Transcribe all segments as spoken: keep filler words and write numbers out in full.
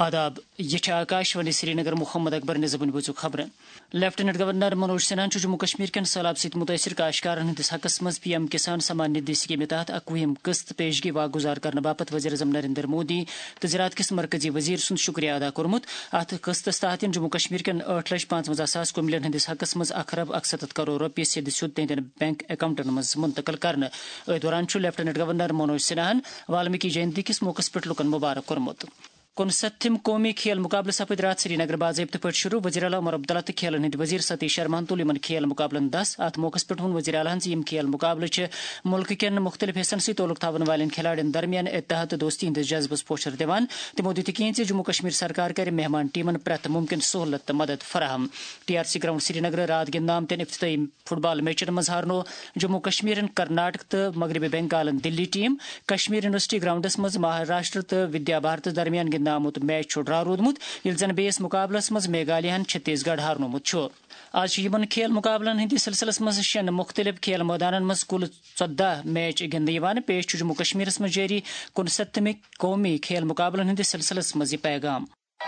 آداب، یہِ چھِ آکاشوانی سرینگر۔ محمد اکبر نظامن بوٗزِو خبرٕ۔ لیفٹیننٹ گورنر منوج سنہاہن چھُ جموں کشمیر کٮ۪ن سٔہلاب سۭتۍ مُتٲثر کاشتکارن ہٕنٛدِس حقس منٛز پی ایم کسان سمان ندھی سکیمہِ تحت اکوُہِم قسط پیشگی واگزار کرنہٕ باپتھ وزیر اعظم نریندر مودی تہٕ زراعت کِس مرکزی وزیر سُنٛد شُکریہ ادا کوٚرمُت۔ اتھ قسطس تحت یِن جموں کشمیر کٮ۪ن ٲٹھ لچھ پانٛژونٛزاہ ساس کُملین ہٕنٛدِس حقس منٛز اکھ ارب اکستتھ کرور رۄپیہِ سیٚدِ سیوٚد تِہنٛدٮ۪ن بینک اکاؤنٹن منٛز منتقل کرنہٕ۔ أتھۍ دوران چھُ لیفٹیننٹ گورنر منوج سنہاہن والمیکی جینتی کِس موقعس پٮ۪ٹھ لوٗکن مبارک کوٚرمُت۔ کُنسَتتھِم قومی کھیل مقابلہٕ سپٕدۍ راتھ سرینگر باضٲبطہٕ پٲٹھۍ شروع۔ وزیر اعلیٰ عمر عبداللہ تہٕ کھیلن ہٕنٛدۍ وزیر ستیش شرماہن تُل یِمن کھیل مقابلن دس۔ اتھ موقعس پٮ۪ٹھ ووٚن وزیر اعلیٰ ہن زِ یِم کھیل مقابلہٕ چھِ مُلکہٕ کٮ۪ن مُختٔلِف حصن سۭتۍ تعلق تھاون والٮ۪ن کھلاڑٮ۪ن درمیان اتحاد تہٕ دوستی ہٕنٛدِس جذبس پوچھر دِوان۔ تِمو دِتۍ یقین زِ جموں کشمیر سرکار کرِ مہمان ٹیمن پرٛٮ۪تھ مُمکِن سہولت تہٕ مدد فراہم۔ ٹی آر سی گراؤنڈ سرینگرٕ راتھ گِنٛدنہٕ آمتٮ۪ن افتتاحی فٹ بال میچن منٛز ہارنو جموں کشمیرن کرناٹک تہٕ مغربی بنگالن دلی ٹیم۔ کشمیر یونیورسٹی گراؤنڈس منٛز مہاراشٹر تہٕ ودیا بھارت درمیان گِنٛدنہٕ آمُت میچ چھُ ڈرا روٗدمُت، ییٚلہِ زن بیٚیِس مقابلس منٛز میگھالیہ ہن چھتیس گڑھ ہارنومُت چھُ۔ آز چھِ یِمن کھیل مقابلن ہٕنٛدِس سلسلس منٛز شٮ۪ن مُختٔلِف کھیل مٲدانن منٛز کُل ژۄداہ میچ گِنٛدنہٕ یِوان۔ پیش چھُ جموں کشمیرس منٛز جٲری کُنسَتتھمہِ قومی کھیل مقابلن ہٕنٛدِس سلسلس منٛز یہِ پیغام۔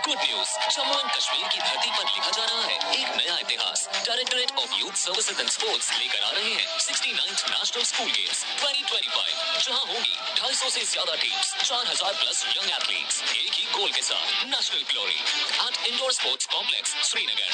Good news, Jammu and Kashmir کی دھرتی پر لکھا جا رہا ہے ایک نیا اتہاس۔ Directorate of youth services and sports لے کر آ رہے ہیں sixty ninth national school games twenty twenty five, جہاں ہوں گی ڈھائی سو سے زیادہ ٹیمز، چار ہزار پلس ینگ ایتھلیٹس، ایک ہی گول کے ساتھ national glory at indoor sports complex Srinagar.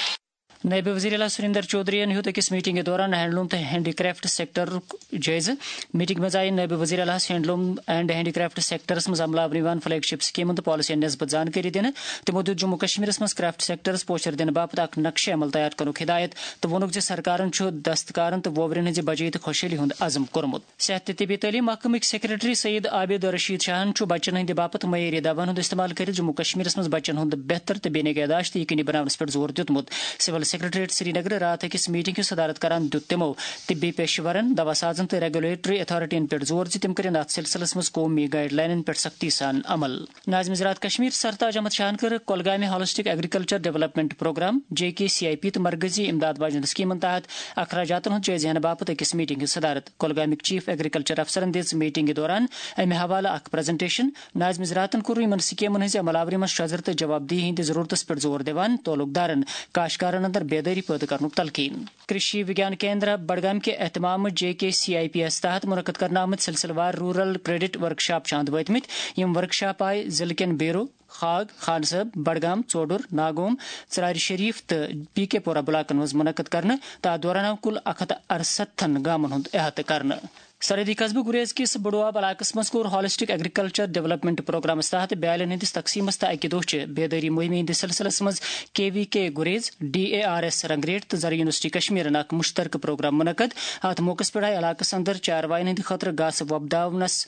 نائب وزیر اعلیٰ سریندر چودھرین ہیوٚت أکِس میٹنگہِ دوران ہینڈلوم تہٕ ہینڈی کرافٹ سیکٹرُک جٲیزٕ۔ میٹنگ منٛز آیہِ نائب وزیر اعلیٰ ہس handloom and handy craft sectors منٛز عملہٕ آورٕ یِوان فلیگ شپ سکیمن تہٕ پالیسین نسبت زانکٲری دِنہٕ۔ تِمو دیُت جموں کشمیرس منٛز کرافٹ سیکٹرس پوچھر دِنہٕ باپتھ اکھ نقشہٕ عمل تیار کرنُک ہدایت تہٕ ووٚنُکھ زِ سرکارن چھُ دستکارن تہٕ ووورٮ۪ن ہٕنٛزِ بجٲیی تہٕ خۄشحٲلی ہُنٛد عزم کوٚرمُت۔ صحت تہٕ طبی تعلیٖم محکمٕکۍ سیکرٹری سید عابد رشید شاہن چھُ بچن ہٕنٛدِ باپتھ معیٲری دواہن ہُنٛد استعمال کٔرِتھ جموں کشمیرس منٛز بچن ہُنٛد بہتر تہٕ بے نگہداشت یقینی بناونس پٮ۪ٹھ زور دیُتمُت۔ سول سیکرٹریٹ سرینگر راتھ أکِس میٹنگ ہُنٛد صدارت کران دیُت تِمو طبی پیشہٕ ورن، دوا سازن تہٕ ریگولیٹری اتھارٹین پٮ۪ٹھ زور زِ تِم کٔرِن اتھ سلسلس منٛز قومی گائیڈ لائنن پٮ۪ٹھ سختی سان عمل۔ ناظم زراعت کشمیر سرتاج احمد شاہن کٔر کۄلگامہِ holistic agriculture development program, J K C I P, تہٕ مرکزی امداد واجنہِ سکیمن تحت اخراجاتن ہُنٛد جٲیزٕ ہینہٕ باپتھ أکِس میٹنگ ہٕنٛز صدارت۔ کۄلگامٕکۍ چیف ایگریکلچر افسرن دِژ میٹنگہِ دوران امہِ حوالہٕ اکھ پریزنٹیشن۔ ناظم زراعتن کوٚر یِمن سکیمن ہٕنٛزِ عمل آوری منٛز شۄزر تہٕ جواب دہی ہٕنٛدِ ضرورتس پٮ۪ٹھ زور دِوان تعلق دارن کاشتکارن اندر بیدٲری پٲدٕ کرنُک تلقین۔ کرشی وگیان کیندرا بڈگام کہِ اہتمام J K C I P یس تحت منعقد کرنہٕ آمٕتۍ سلسلہٕ وار رورل کریڈٹ ورکشاپ چھِ اند وٲتمٕتۍ۔ یِم ورکشاپ آیہِ ضلعہٕ کٮ۪ن بیرو، خاگ، خان صٲب، بڈگام، ژوڈُر، ناگوم، ژرارِ شریف تہٕ پی کے پورہ بلاکن منٛز منعقد کرنہٕ تہٕ اتھ دوران آو کُل اکھ ہتھ ارستھن گامن ہُنٛد احاطہٕ کرنہٕ۔ سرحدی قصبہٕ گریز کِس بڈواب علاقس منٛز کوٚر ہالسٹک ایگریکلچر ڈیولپمنٹ پروگرامس تحت بیالین ہٕنٛدِس تقسیمس تہٕ اکہِ دۄہ چہِ بیدٲری مہمہِ ہٕنٛدِس سلسلس منٛز کے وی کے گریز، ڈی اے آر ایس رنگریٹ تہٕ زرعی یونیورسٹی کشمیرن اکھ مشترکہٕ پروگرام منعقد۔ اتھ موقعس پٮ۪ٹھ آیہِ علاقس اندر چاروایَن ہٕنٛدِ خٲطرٕ گاسہٕ وۄپداونس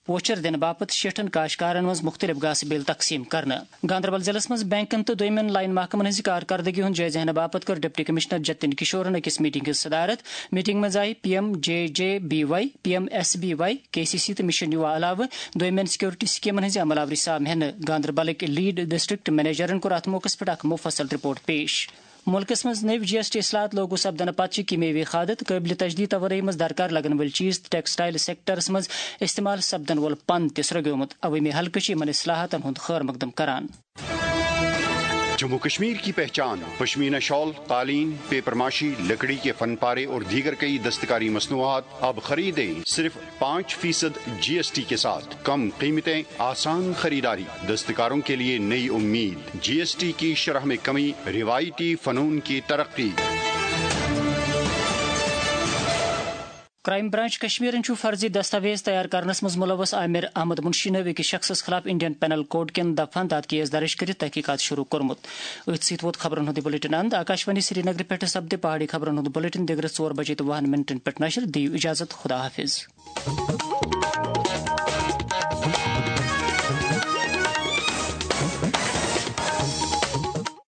پوچھر دِنہٕ باپتھ شیٹھن کاشتکارن منٛز مُختٔلِف گاسہٕ بیل تقسیٖم کرنہٕ۔ گاندربل ضلعس منٛز بینکن تہٕ دوٚیمٮ۪ن لائن محکمن ہٕنٛزِ کارکردگی ہُنٛد جٲیزٕ ہینہٕ باپتھ کٔر ڈپٹی کمشنر جتن کشورن أکِس میٹنگ ہٕنٛز صدارت۔ میٹنگ منٛز آیہِ P M J J B Y, P M S B Y, K C C تہٕ مشن یووا علاوٕ دوٚیمٮ۪ن سیکورٹی سکیمن ہٕنٛزِ عمل آوری سام ہینہٕ۔ گاندربلٕکۍ لیڈ ڈسٹرکٹ منیجرن کوٚر اتھ موقعس پٮ۪ٹھ اکھ مفصل رپورٹ پیش۔ مُلکَس منٛز نٔوۍ جی ایس ٹی اصلاحات لاگو سپدنہٕ پتہٕ چھِ کیمیاوی کھادٕ تہٕ قٲبلِ تجدید توانٲیی منٛز درکار لگن وٲلۍ چیٖز تہٕ ٹیکسٹائل سیکٹرس منٛز استعمال سپدن وول پن تہِ سرٛوگیومُت۔ عوٲمی حلقہٕ چھِ یِمن اصلاحاتن ہُنٛد خٲر مقدم کران۔ جموں کشمیر کی پہچان، پشمینہ شال، قالین، پیپر ماشی، لکڑی کے فن پارے اور دیگر کئی دستکاری مصنوعات۔ اب خریدیں صرف پانچ فیصد جی ایس ٹی کے ساتھ۔ کم قیمتیں، آسان خریداری، دستکاروں کے لیے نئی امید۔ جی ایس ٹی کی شرح میں کمی، روایتی فنون کی ترقی۔ کرائم برانچ کشمیرن چھُ فرضی دستاویز تیار کرنس منٛز ملوث عامر احمد منشی نٲوۍ أکِس شخصس خلاف انڈین پینل کوڈ کٮ۪ن دفعن تحت کیس درج کٔرِتھ تحقیقات شروع کوٚرمُت۔ أتھۍ سۭتۍ ووت خبرن ہُنٛد یہِ بلیٹن اند۔ آکاشوانی سرینگرٕ پٮ۪ٹھٕ سپدِ پہاڑی خبرن ہُنٛد بلیٹن دِگرس ژور بجے تہٕ وُہن منٹن پٮ۪ٹھ نشر۔ دِیِو اجازت، خدا حافظ۔